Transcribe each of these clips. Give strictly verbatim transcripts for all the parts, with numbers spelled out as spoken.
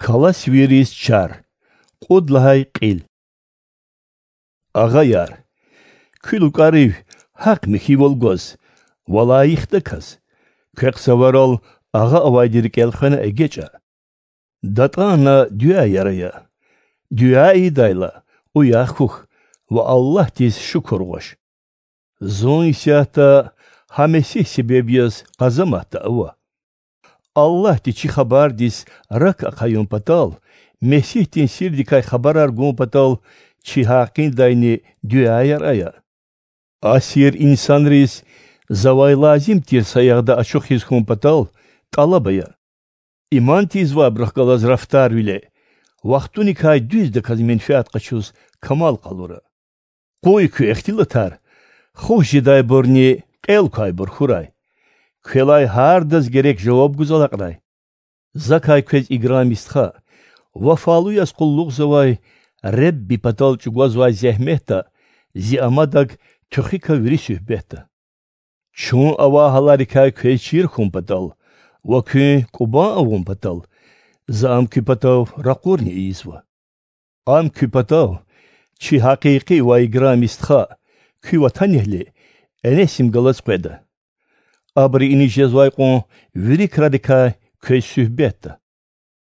Каласвийриз чар. Кьуд лагьай кьил. Агъаяр, куь лукӀарив гьахъ-михьивал гваз ва лайихдаказ, квехъ цаварал агъа авайди рикӀел хвена эгечӀа. ДатӀана дуьаяр ая. Дуьа ийидайла, уях хьухь ва Аллагьдиз шукур гъваш. Зун исятда гьа Месигь себеб яз къазаматда ава. Аллагьди чи хабардиз рак ахъаюн патал, Месигьдин сирдикай хабарар гун патал чи гьакъиндайни дуьаяр ая. Асир инсанриз завай лазим тир саягъда ачухиз хьун патал тӀалаб ая. Иман тийизвайбурухъ галаз рафтарвиле, вахтуникай дуьздаказ менфят къачуз камал къалура. Къуй куь ихтилатар, хуш жедайбурни кьел квайбур хьурай. Квелай гьардаз герек жаваб гуз алакьрай. Закай квез играми стха, вафалу яз къуллугъзавай Ребби патал чӀугвазвай зегьметда зи амадаг туьхуька вири суьгьбетда. Чун авай гьаларикай квез чир хьун патал ва куьн кӀубан авун патал, за ам куь патав ракъурни ийизва. Ам куь патав, чи гьакъикъи ва играми стха, куь ватанэгьли Энесим галаз къведа. Абуру иниз жезвай кьван вири крарикай квез суьгьбетда.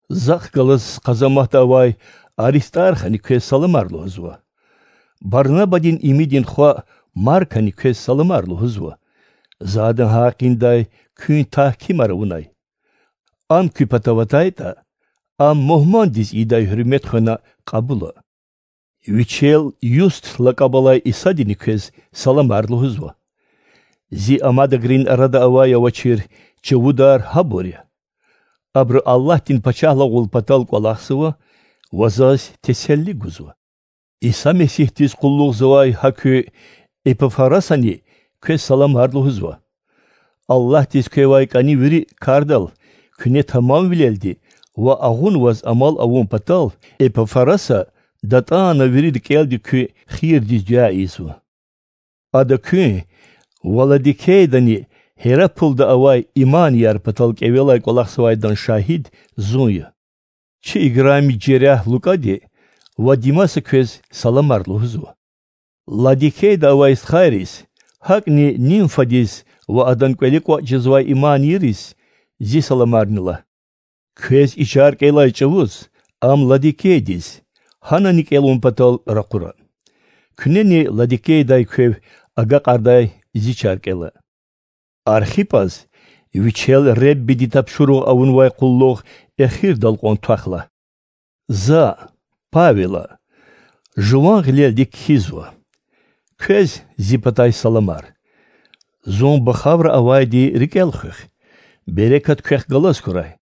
Захъ галаз къазаматда авай Аристархани квез саламар лугьузва. Барнабадин имидин хва Маркани квез саламар лугьузва. За адан гьакъиндай куьн тагькимар авунай. Ам куь патав атайтӀа, ам мугьмандиз ийидай гьуьрмет хвена кьабула. Вичел Юст лакӀаб алай Исадини квез саламар лугьузва. Зи амадагрин арада авай-авачир чувудар гьабур я. Абуру Аллагьдин пачагьлугъул патал кӀвалахзава ва заз теселли гузва. Иса Месигьдиз къуллугъзавай гьа куь Эпафрасани квез саламар лугьузва. Аллагьдиз квевай кӀани вири кардал куьне тамамвилелди ва агъунваз амал авун патал Эпафраса датӀана вири рикӀелди куь хийирдиз дуьа ийизва. Ада куьн ва Ладикейдани Гьерапулда авай иманияр патал кӀевелай кӀвалахзавайдан шагьид зун я. Чи играми жерягь Лукади ва Димаса квез саламар лугьузва. Ладикейда авай стхайриз, гьакӀни Нимфадиз ва адан кӀвале кӀватӀ жезвай иманийриз зи саламарни лагь. Квез и чар кӀелай чӀавуз ам Ладикейдиз, гьанани кӀелун патал ракъура. Куьнени Ладикейдай квев агакьардай зи чар кӀела. Архипаз вичел Реббиди тапшуругъ авунвай къуллугъ эхирдал кьван твах лагь. За, Павела, жуван гъилелди кхьизва. Квез зи патай саламар. Зун бахавра авайди рикӀел хуьх. Берекат квехъ галаз хьурай.